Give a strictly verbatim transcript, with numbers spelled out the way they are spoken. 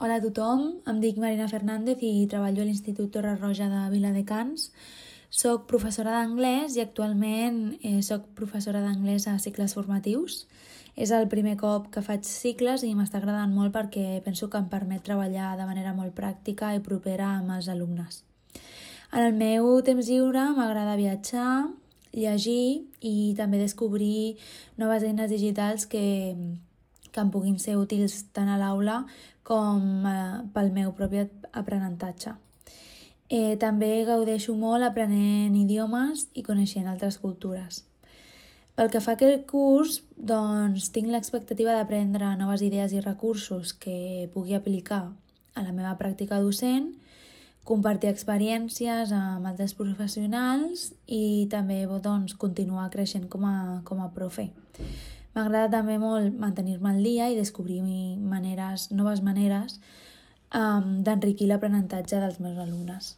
Hola a tothom, em dic Marina Fernández i treballo a l'Institut Torre Roja de Viladecans. Soc professora d'anglès i actualment eh, soc professora d'anglès a cicles formatius. És el primer cop que faig cicles i m'està agradant molt perquè penso que em permet treballar de manera molt pràctica i propera amb els alumnes. En el meu temps lliure m'agrada viatjar, llegir i també descobrir noves eines digitals que, que em puguin ser útils tant a l'aula com eh, pel meu propi aprenentatge. Eh, també gaudeixo molt aprenent idiomes i coneixent altres cultures. Pel que fa a aquest curs, doncs, tinc l'expectativa d'aprendre noves idees i recursos que pugui aplicar a la meva pràctica docent, compartir experiències amb altres professionals i també doncs, continuar creixent com a, com a profe. M'agrada també molt mantenir-me al dia i descobrir maneres, noves maneres um, d'enriquir l'aprenentatge dels meus alumnes.